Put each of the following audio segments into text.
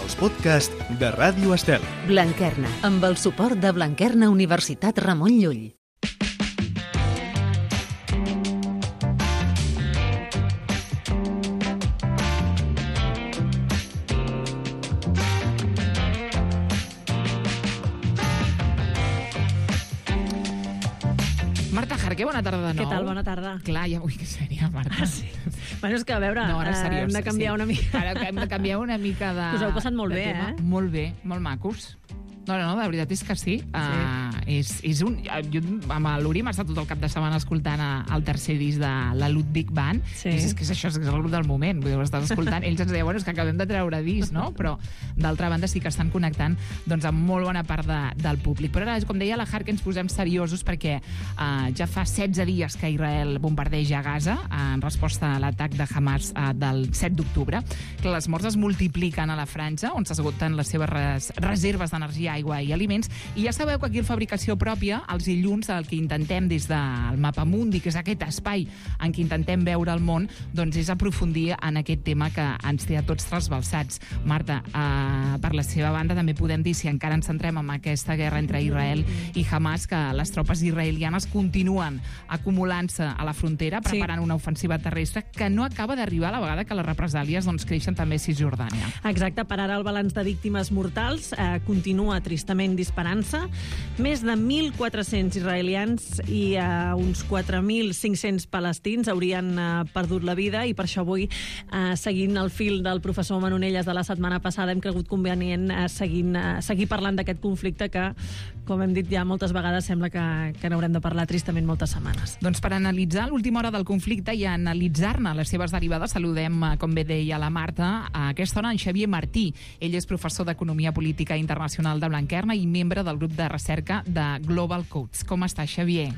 els podcasts de Ràdio Estel. Blanquerna, amb el suport de Blanquerna Universitat Ramon Llull. Marta Jarque, bona tarda de nou. Què tal? Bona tarda. Clar, ja vull que seria, Marta. Sí. Bueno, és que, a veure, no, ara seriós, hem de canviar una mica. Ara hem de canviar una mica de... Us heu passat molt bé, tema. Molt bé, molt macos. No, la veritat és que sí. És un... Jo amb l'Uri m'ha estat tot el cap de setmana escoltant el tercer disc de la Ludwig Band. Sí. És que és això, és el grup del moment. Vull dir, ho estàs escoltant. Ells ens deien, bueno, és que acabem de treure disc, no? Però, d'altra banda, sí que estan connectant doncs, amb molt bona part del públic. Però ara, com deia la Jarque, ens posem seriosos perquè ja fa 16 dies que Israel bombardeja Gaza en resposta a l'atac de Hamas del 7 d'octubre. Que les morts es multipliquen a la franja, on s'esgoten les seves reserves d'energia, aigua i aliments, i ja sabeu que aquí la fabricació pròpia, els dilluns, el que intentem des del Mapamundi, que és aquest espai en què intentem veure el món, doncs és aprofundir en aquest tema que ens té a tots trasbalsats. Marta, per la seva banda també podem dir, si encara ens centrem en aquesta guerra entre Israel i Hamas, que les tropes israelianes continuen acumulant-se a la frontera, preparant una ofensiva terrestre que no acaba d'arribar a la vegada que les represàlies doncs, creixen també a Cisjordània. Exacte, per ara el balanç de víctimes mortals continua tristament disparant-se. Més de 1.400 israelians i uns 4.500 palestins haurien perdut la vida, i per això avui, seguint el fil del professor Manonelles de la setmana passada, hem cregut convenient seguir parlant d'aquest conflicte que, com hem dit ja moltes vegades, sembla que n'haurem de parlar tristament moltes setmanes. Doncs per analitzar l'última hora del conflicte i analitzar-ne les seves derivades, saludem, com bé deia la Marta, a aquesta hora en Xavier Martí. Ell és professor d'Economia Política Internacional de Blanquerna i membre del grup de recerca de Global Codes. Com està, Xavier?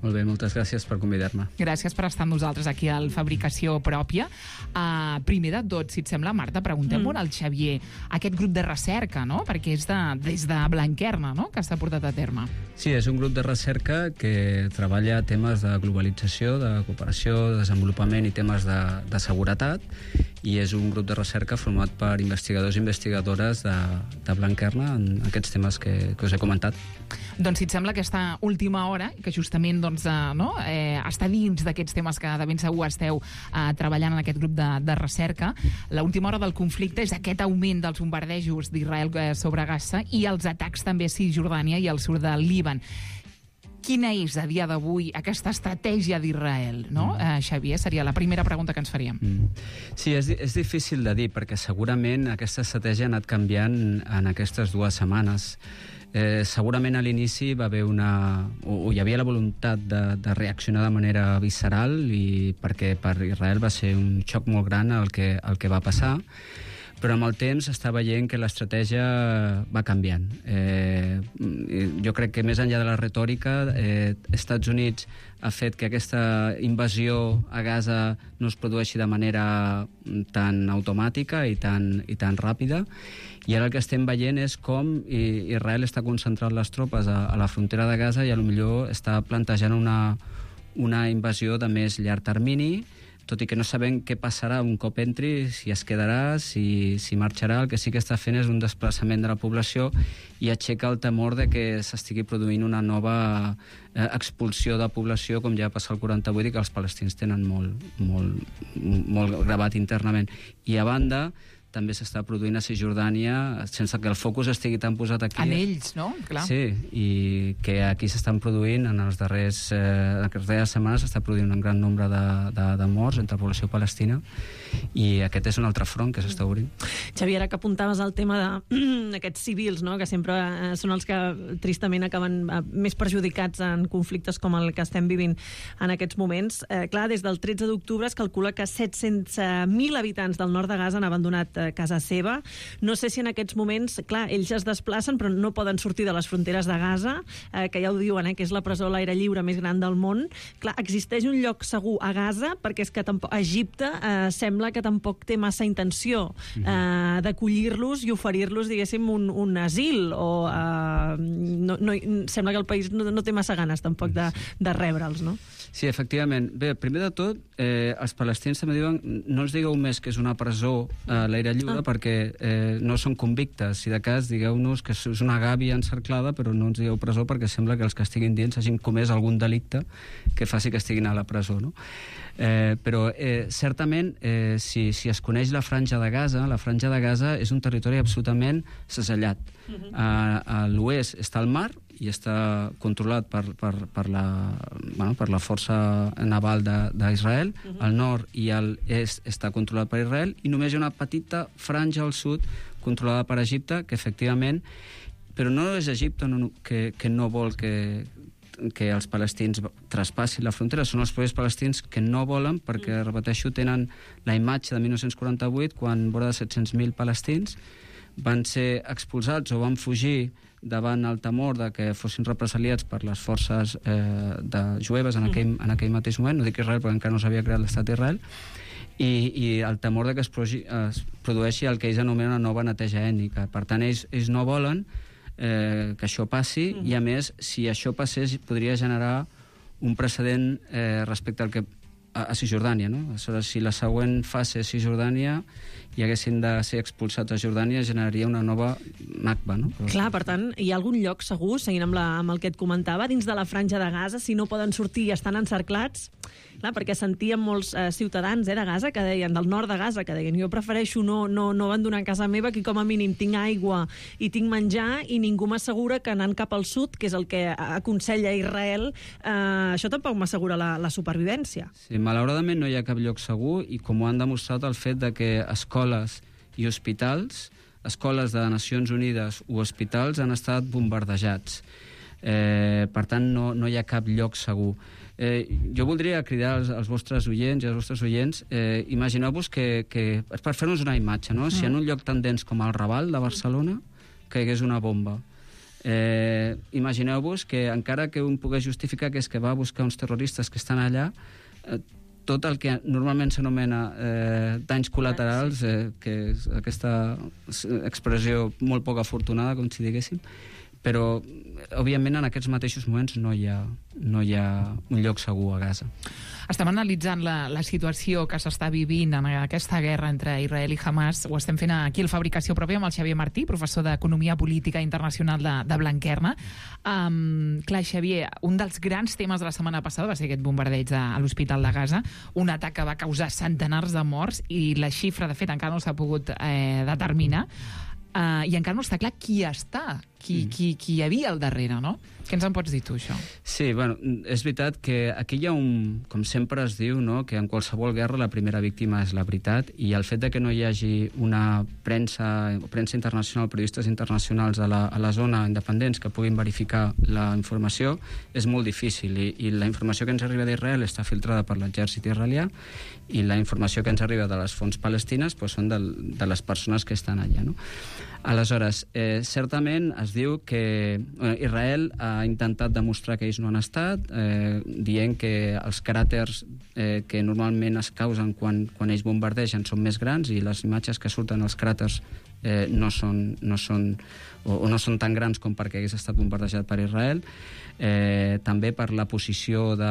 Molt bé, moltes gràcies per convidar-me. Gràcies per estar amb nosaltres aquí al Fabricació Pròpia. Primer de tot, si et sembla, Marta, preguntem-ho al Xavier, aquest grup de recerca, no? Perquè és des de Blanquerna, no?, que s'ha portat a terme. Sí, és un grup de recerca que treballa temes de globalització, de cooperació, de desenvolupament i temes de seguretat, i és un grup de recerca format per investigadors i investigadores de Blanquerna en aquests temes que us he comentat. Doncs si et sembla, aquesta última hora, que justament està dins d'aquests temes que de ben segur esteu treballant en aquest grup de recerca, l'última hora del conflicte és aquest augment dels bombardejos d'Israel sobre Gaza i els atacs també a Cisjordània i al sud del Líban. Quina és, a dia d'avui, aquesta estratègia d'Israel, no? Xavier, seria la primera pregunta que ens faríem. Sí, és difícil de dir, perquè segurament aquesta estratègia ha anat canviant en aquestes 2 setmanes. Segurament a l'inici va haver hi havia la voluntat de reaccionar de manera visceral, i perquè per Israel va ser un xoc molt gran el que va passar, però amb el temps està veient que l'estratègia va canviant. Jo crec que més enllà de la retòrica, Estats Units ha fet que aquesta invasió a Gaza no es produeixi de manera tan automàtica i tan ràpida, i ara el que estem veient és com Israel està concentrant les tropes a la frontera de Gaza i potser està plantejant una invasió de més llarg termini, tot i que no sabem què passarà un cop entri, si es quedarà, si marxarà. El que sí que està fent és un desplaçament de la població i aixeca el temor de que s'estigui produint una nova expulsió de població, com ja va passar el 48, i que els palestins tenen molt gravat internament. I a banda, també s'està produint a Cisjordània, sense que el focus estigui tan posat aquí. En ells, no? Clar. Sí, i que aquí s'estan produint, en les darreres setmanes s'està produint un gran nombre de morts entre la població palestina, i aquest és un altre front que s'està obrint. Xavier, ara que apuntaves al tema d'aquests civils, no?, que sempre són els que tristament acaben més perjudicats en conflictes com el que estem vivint en aquests moments. Clar, des del 13 d'octubre es calcula que 700.000 habitants del nord de Gaza han abandonat casa seva. No sé si en aquests moments, clar, ells es desplacen però no poden sortir de les fronteres de Gaza, que ja ho diuen, que és la presó a l'aire lliure més gran del món. Clar, existeix un lloc segur a Gaza, perquè és que Egipte sembla que tampoc té massa intenció d'acollir-los i oferir-los, diguéssim, un asil, o sembla que el país no té massa ganes tampoc de rebre'ls, no? Sí, efectivament. Bé, primer de tot, els palestins també diuen no els digueu més que és una presó a l'aire lliure perquè no són convictes. Si de cas, digueu-nos que és una gàbia encerclada, però no ens digueu presó perquè sembla que els que estiguin dins hagin comès algun delicte que faci que estiguin a la presó, no? Però certament, si es coneix la Franja de Gaza és un territori absolutament segellat. A l'oest està el mar i està controlat per la força naval d'Israel. Al nord i a l'est està controlat per Israel i només hi ha una petita franja al sud controlada per Egipte, que efectivament... Però no és Egipte que no vol que els palestins traspassin la frontera, són els propis palestins que no volen, perquè, repeteixo, tenen la imatge de 1948, quan vora de 700.000 palestins van ser expulsats o van fugir davant el temor de que fossin represaliats per les forces jueves en aquell mateix moment, no dic Israel perquè encara no s'havia creat l'estat d'Israel, i el temor de que es produeixi el que ells anomenen una nova neteja ètnica. Per tant, ells no volen que això passi, i a més, si això passés, podria generar un precedent respecte al que a Cisjordània, no? Aleshores, si la següent fase és Cisjordània i haguessin de ser expulsats a Jordània, generaria una nova Nakba, no? Clar, per tant, hi ha algun lloc segur, seguint amb el que et comentava, dins de la Franja de Gaza, si no poden sortir i estan encerclats? Clar, perquè sentíem molts ciutadans de Gaza que deien, del nord de Gaza, que deien jo prefereixo no abandonar casa meva, que com a mínim tinc aigua i tinc menjar, i ningú m'assegura que anant cap al sud, que és el que aconsella Israel, això tampoc m'assegura la supervivència. Sí, malauradament no hi ha cap lloc segur, i com ho han demostrat el fet de que escoles i hospitals, escoles de Nacions Unides o hospitals han estat bombardejats. Per tant, no hi ha cap lloc segur. Jo voldria cridar als vostres oients i als vostres oients, imagineu-vos que per fer-nos una imatge, no? Si en un lloc tan dens com el Raval de Barcelona caigués una bomba, imagineu-vos que encara que un pogués justificar que és que va buscar uns terroristes que estan allà, tot el que normalment s'anomena danys col·laterals, que és aquesta expressió molt poc afortunada, com si diguéssim, però, òbviament, en aquests mateixos moments no hi ha un lloc segur a Gaza. Estem analitzant la situació que s'està vivint en aquesta guerra entre Israel i Hamas. Ho estem fent aquí al Fabricació Pròpia amb el Xavier Martí, professor d'Economia Política Internacional de Blanquerna. Clar, Xavier, un dels grans temes de la setmana passada va ser aquest bombardeig a l'Hospital de Gaza, un atac que va causar centenars de morts, i la xifra, de fet, encara no s'ha pogut determinar. I encara no està clar qui hi havia al darrere, no? Què ens en pots dir tu, això? Sí, bueno, és veritat que aquí hi ha com sempre es diu, no?, que en qualsevol guerra la primera víctima és la veritat, i el fet de que no hi hagi una premsa internacional, periodistes internacionals a la zona independents que puguin verificar la informació és molt difícil, i la informació que ens arriba d'Israel està filtrada per l'exèrcit israelià, i la informació que ens arriba de les fonts palestines són de les persones que estan allà, no? Aleshores, certament es diu que Israel ha intentat demostrar que ells no han estat, dient que els cràters que normalment es causen quan ells bombardegen són més grans, i les imatges que surten als cràters no són tan grans com perquè hagués estat bombardejat per Israel. També per la posició de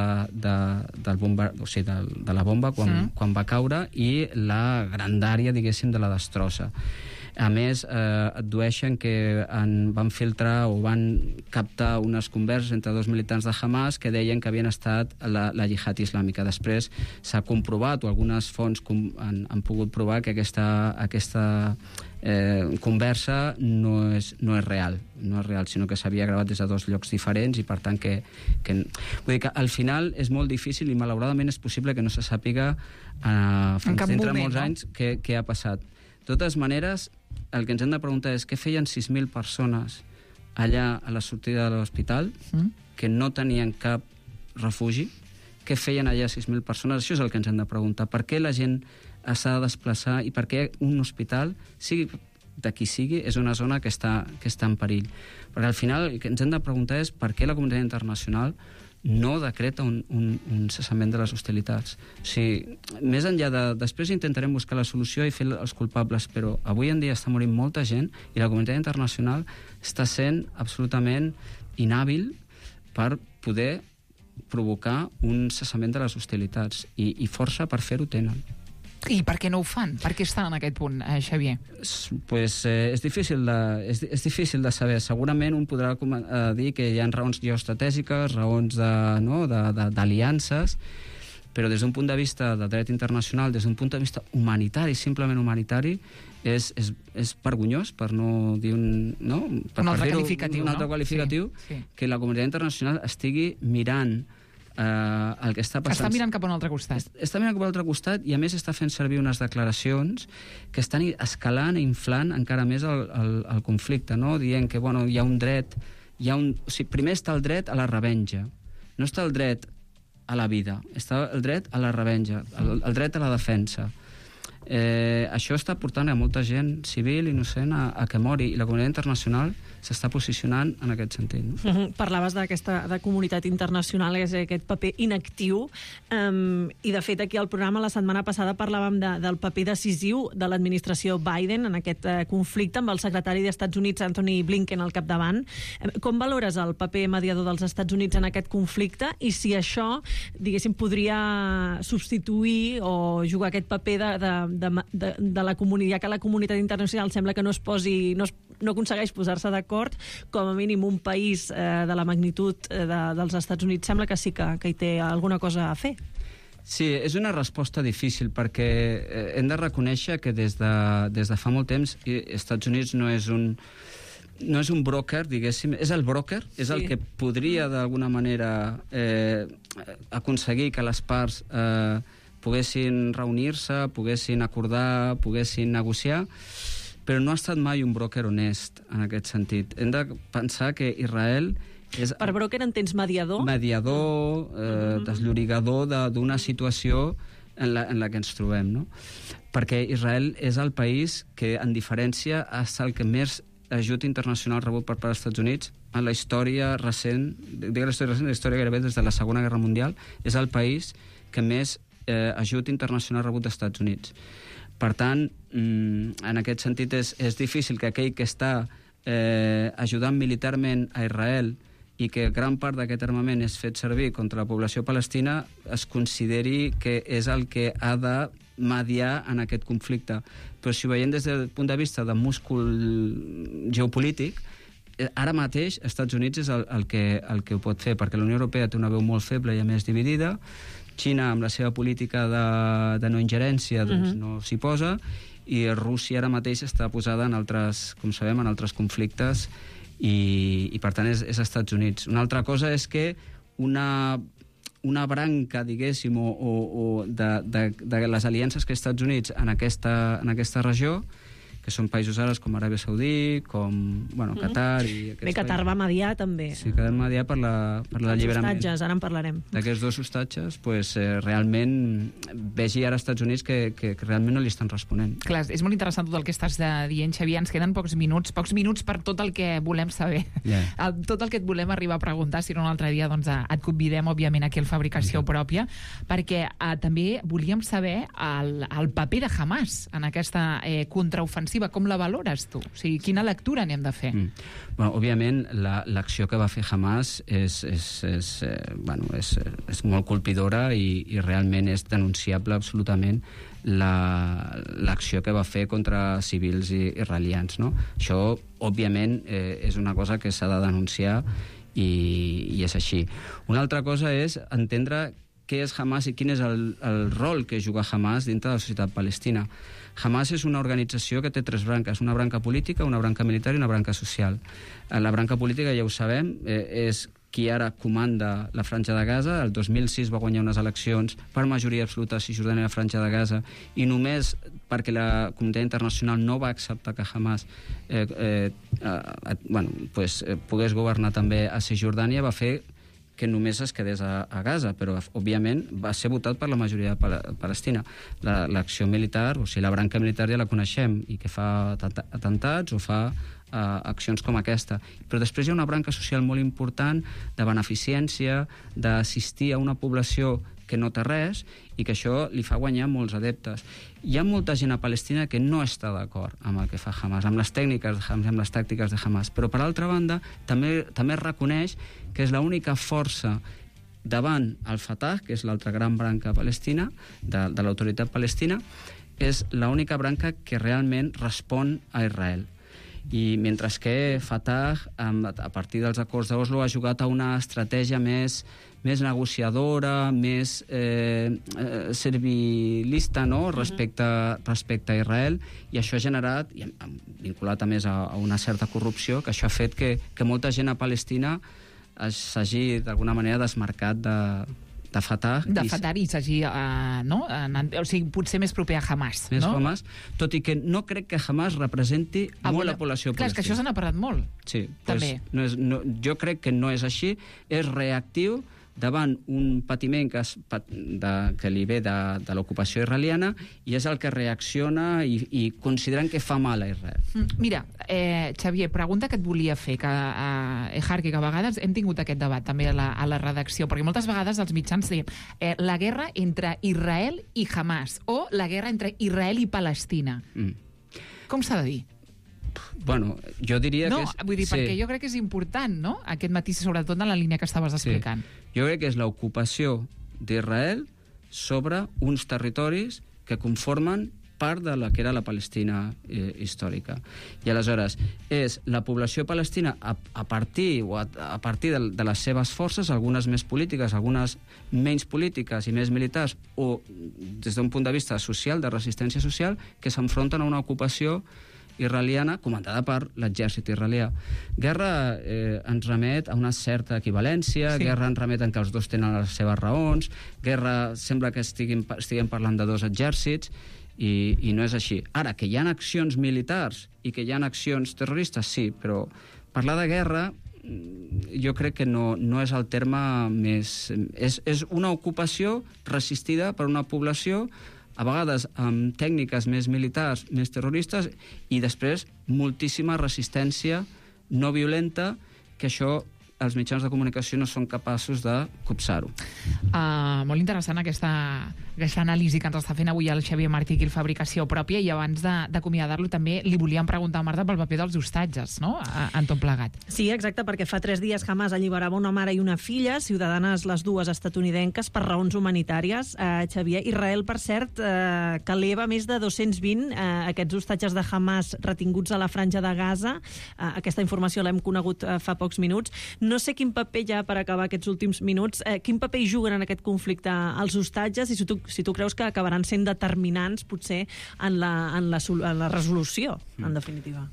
la bomba quan va caure, i la grandària, diguéssim, de la destrossa. A més, addueixen que van filtrar o van captar unes converses entre dos militants de Hamas que deien que havien estat la jihad islàmica. Després s'ha comprovat, o algunes fonts han pogut provar, que aquesta conversa no és real, sinó que s'havia gravat des de dos llocs diferents, i per tant vull dir que al final és molt difícil, i malauradament és possible que no se sàpiga fins dintre molts anys què ha passat. De totes maneres, el que ens hem de preguntar és què feien 6.000 persones allà a la sortida de l'hospital que no tenien cap refugi. Què feien allà 6.000 persones? Això és el que ens hem de preguntar. Per què la gent s'ha de desplaçar, i per què un hospital, sigui de qui sigui, és una zona que està en perill? Perquè al final el que ens hem de preguntar és per què la comunitat internacional no decreta un cessament de les hostilitats. O sigui, més enllà després intentarem buscar la solució i fer els culpables, però avui en dia està morint molta gent, i la comunitat internacional està sent absolutament inhàbil per poder provocar un cessament de les hostilitats, i força per fer-ho tenen. I per què no ho fan? Per què estan en aquest punt, Xavier? Pues, és difícil de saber. Segurament un podrà dir que hi ha raons geoestratègiques, raons d'aliances, però des d'un punt de vista del dret internacional, des d'un punt de vista humanitari, simplement humanitari, és vergonyós, per no dir un altre qualificatiu, que la comunitat internacional estigui mirant el que està passant. Està mirant cap a un altre costat. Està mirant cap a un altre costat, i a més està fent servir unes declaracions que estan escalant i inflant encara més el conflicte, no? Dient que hi ha un dret... primer està el dret a la revenja, no està el dret a la vida, està el dret a la revenja, el dret a la defensa. Això està portant a molta gent civil, innocent, a que mori, i la comunitat internacional s'està posicionant en aquest sentit. No? Parlaves de comunitat internacional, és aquest paper inactiu, i de fet aquí al programa la setmana passada parlàvem del paper decisiu de l'administració Biden en aquest conflicte, amb el secretari d'Estats Units, Anthony Blinken, al capdavant. Com valores el paper mediador dels Estats Units en aquest conflicte, i si això, diguéssim, podria substituir o jugar aquest paper de la comunitat, ja que la comunitat internacional sembla que no aconsegueix posar-se d'acord, com a mínim un país de la magnitud dels Estats Units sembla que sí que hi té alguna cosa a fer. Sí, és una resposta difícil, perquè hem de reconèixer que des de fa molt temps Estats Units no és un broker, diguéssim, és el broker, és el que podria d'alguna manera aconseguir que les parts poguessin reunir-se, poguessin acordar, poguessin negociar, però no ha estat mai un broker honest en aquest sentit. Hem de pensar que Israel és... Per broker entens mediador? Mediador, desllorigador d'una situació en la que ens trobem, no? Perquè Israel és el país que, en diferència, ha estat el que més ajut internacional rebut per part dels Estats Units en la història recent, la història gairebé des de la Segona Guerra Mundial, és el país que més ajut internacional rebut dels Estats Units. Per tant, en aquest sentit és difícil que aquell que està ajudant militarment a Israel i que gran part d'aquest armament és fet servir contra la població palestina es consideri que és el que ha de mediar en aquest conflicte. Però si ho veiem des del punt de vista de múscul geopolític, ara mateix Estats Units és el que ho pot fer, perquè la Unió Europea té una veu molt feble i a més dividida. Xina, amb la seva política de no ingerència, doncs no s'hi posa, i Rússia ara mateix està posada en altres, com sabem, en altres conflictes, i per tant és Estats Units. Una altra cosa és que una branca, diguéssim, o de les aliances que Estats Units en aquesta regió, que són països àrabs com Aràbia Saudí, com Qatar... Bé, Qatar va mediar, també. Sí, que va mediar per l'alliberament. Els hostatges, ara en parlarem. D'aquests dos hostatges, realment vegi ara als Estats Units que realment no li estan responent. Clar, és molt interessant tot el que estàs dient, Xavier. Ens queden pocs minuts per tot el que volem saber. Tot el que et volem arribar a preguntar, si no un altre dia et convidem, òbviament, aquí al Fabricació Pròpia, perquè també volíem saber el paper de Hamas en aquesta contraofensiva. Com la valores tu? O sigui, quina lectura n'hem de fer? Òbviament, l'acció que va fer Hamas és molt colpidora i realment és denunciable absolutament l'acció que va fer contra civils israelians. No? Això, òbviament, és una cosa que s'ha de denunciar i és així. Una altra cosa és entendre què és Hamas i quin és el rol que juga Hamas dintre de la societat palestina. Hamas és una organització que té tres branques, una branca política, una branca militar i una branca social. La branca política, ja ho sabem, és qui ara comanda la Franja de Gaza. El 2006 va guanyar unes eleccions per majoria absoluta a Cisjordània i la Franja de Gaza, i només perquè la comunitat internacional no va acceptar que Hamas pogués governar també a Cisjordània, va fer que només es quedés a Gaza, però, òbviament, va ser votat per la majoria palestina. L'acció militar, o sigui, la branca militar ja la coneixem, i que fa atemptats o fa accions com aquesta. Però després hi ha una branca social molt important de beneficència, d'assistir a una població que no té res, i que això li fa guanyar molts adeptes. Hi ha molta gent a Palestina que no està d'acord amb el que fa Hamas, amb les tècniques de Hamas, amb les tàctiques de Hamas, però per altra banda també es reconeix que és l'única força davant el Fatah, que és l'altra gran branca palestina, de l'autoritat palestina, és l'única branca que realment respon a Israel. I mentre que Fatah, a partir dels acords d'Oslo, ha jugat a una estratègia més negociadora, més servilista, no? respecte a Israel, i això ha generat, vinculat a més a una certa corrupció, que això ha fet que molta gent a Palestina s'hagi d'alguna manera desmarcat de Fatah. I s'hagi, o sigui, potser més proper a Hamas. Més Hamas, tot i que no crec que Hamas representi molt la població palestina. Clar, és que això se n'ha parlat molt. Sí, també. Jo crec que no és així, és reactiu davant un patiment que li ve de l'ocupació israeliana, i és el que reacciona i consideren que fa mal a Israel. Mira, Xavier, pregunta que et volia fer, que Harky, que a vegades hem tingut aquest debat també a la redacció, perquè moltes vegades els mitjans diem la guerra entre Israel i Hamas, o la guerra entre Israel i Palestina. Com s'ha de dir? Bueno, jo diria que és... No, vull dir, perquè jo crec que és important, no?, aquest matís, sobretot en la línia que estaves explicant. Jo crec que és l'ocupació d'Israel sobre uns territoris que conformen part de la que era la Palestina històrica. I aleshores és la població palestina a partir de les seves forces, algunes més polítiques, algunes menys polítiques i més militars, o des d'un punt de vista social, de resistència social, que s'enfronten a una ocupació israeliana comandada per l'exèrcit israelià. Guerra ens remet a una certa equivalència, guerra ens remet en que els dos tenen les seves raons, guerra sembla que estiguem parlant de dos exèrcits, i no és així. Ara, que hi ha accions militars i que hi ha accions terroristes, sí, però parlar de guerra jo crec que no és el terme més... És una ocupació resistida per una població, a vegades amb tècniques més militars, més terroristes, i després moltíssima resistència no violenta, que això els mitjans de comunicació no són capaços de copsar-ho. Molt interessant aquesta anàlisi que ens està fent avui el Xavier Martí aquí, el Fabricació Pròpia, i abans d'acomiadar-lo també li volíem preguntar a Marta pel paper dels hostatges, no?, en tot plegat. Sí, exacte, perquè fa 3 dies Hamas alliberava una mare i una filla, ciutadanes les dues estatunidenques, per raons humanitàries. Xavier, Israel, per cert, que eleva més de 220 aquests hostatges de Hamas retinguts a la franja de Gaza. Aquesta informació l'hem conegut fa pocs minuts. No sé quin paper ja, per acabar aquests últims minuts, quin paper hi juguen en aquest conflicte els hostatges, i si tu creus que acabaran sent determinants, potser, en la resolució, en definitiva.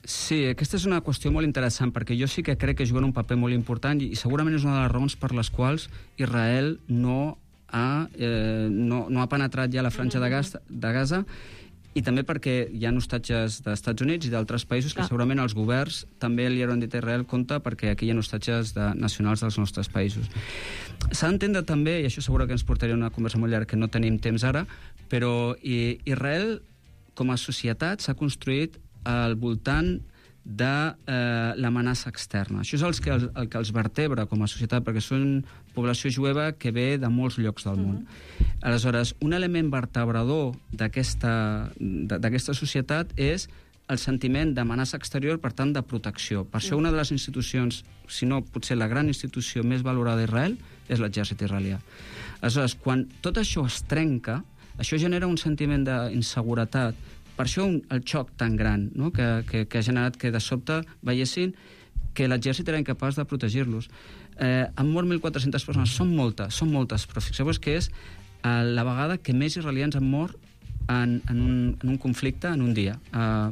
Sí, aquesta és una qüestió molt interessant, perquè jo sí que crec que juguen un paper molt important, i segurament és una de les raons per les quals Israel no ha penetrat ja la franja de Gaza, i també perquè hi ha hostatges dels Estats Units i d'altres països que segurament els governs també li hauran dit a Israel compte, perquè aquí hi ha hostatges nacionals dels nostres països. S'ha d'entendre també, i això segurament que ens portaria una conversa molt llarga que no tenim temps ara, però Israel com a societat s'ha construït al voltant de l'amenaça externa. Això és el que els vertebra com a societat, perquè són població jueva que ve de molts llocs del món. Aleshores, un element vertebrador d'aquesta societat és el sentiment d'amenaça exterior, per tant, de protecció. Per això una de les institucions, si no potser la gran institució més valorada d'Israel, és l'exèrcit israelià. Aleshores, quan tot això es trenca, això genera un sentiment d'inseguretat. Per això el xoc tan gran, no?, que ha generat que de sobte veiessin que l'exèrcit era incapaç de protegir-los. Han mort 1.400 persones, són moltes, però fixeu-vos que és la vegada que més israelians han mort en un conflicte en un dia.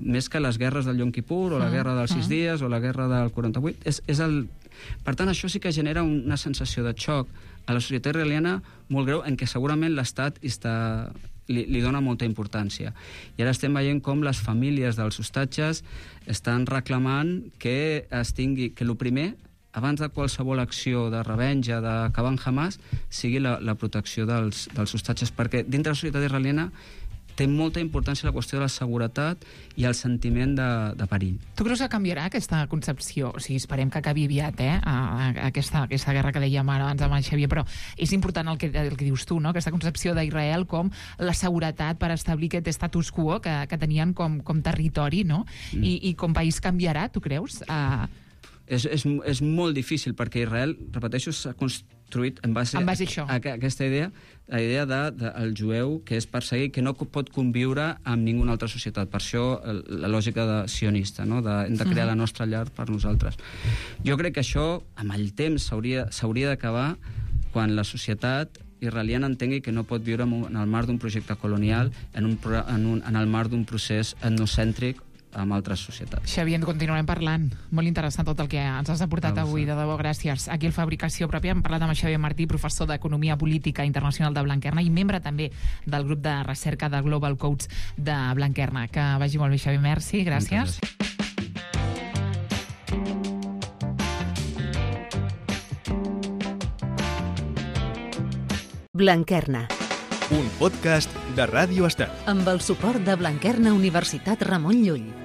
Més que les guerres del Yom Kippur, o la guerra dels 6 dies, o la guerra del 48. Per tant, això sí que genera una sensació de xoc a la societat israeliana molt greu, en què segurament l'Estat li dona molta importància. I ara estem veient com les famílies dels hostatges estan reclamant que el primer, abans de qualsevol acció de revenja, d'acabar amb Hamas, sigui la protecció dels hostatges, perquè dintre la societat israeliana té molta importància la qüestió de la seguretat i el sentiment de perill. Tu creus que canviarà aquesta concepció? O sigui, esperem que acabi aviat, aquesta guerra que dèiem ara abans amb el Xavier, però és important el que dius tu, no?, aquesta concepció d'Israel com la seguretat per establir aquest status quo que tenien com territori, no? I com país canviarà, tu creus? és molt difícil, perquè Israel, repeteixo, s'ha construït en base a aquesta idea, la idea del jueu que és perseguit, que no pot conviure amb ninguna altra societat. Per això la lògica sionista, no? Hem de crear la nostra llar per nosaltres. Jo crec que això, amb el temps, s'hauria d'acabar quan la societat israeliana entengui que no pot viure en el marc d'un projecte colonial, en el marc d'un procés etnocèntric amb altres societats. Xavier, en continuarem parlant. Molt interessant tot el que ens has aportat avui, de debò, gràcies. Aquí al Fabricació Pròpia hem parlat amb Xavier Martí, professor d'Economia Política Internacional de Blanquerna i membre també del grup de recerca de Global Coach de Blanquerna. Que vagi molt bé, Xavier. Merci, gràcies. Blanquerna. Un podcast de Ràdio Estel. Amb el suport de Blanquerna Universitat Ramon Llull.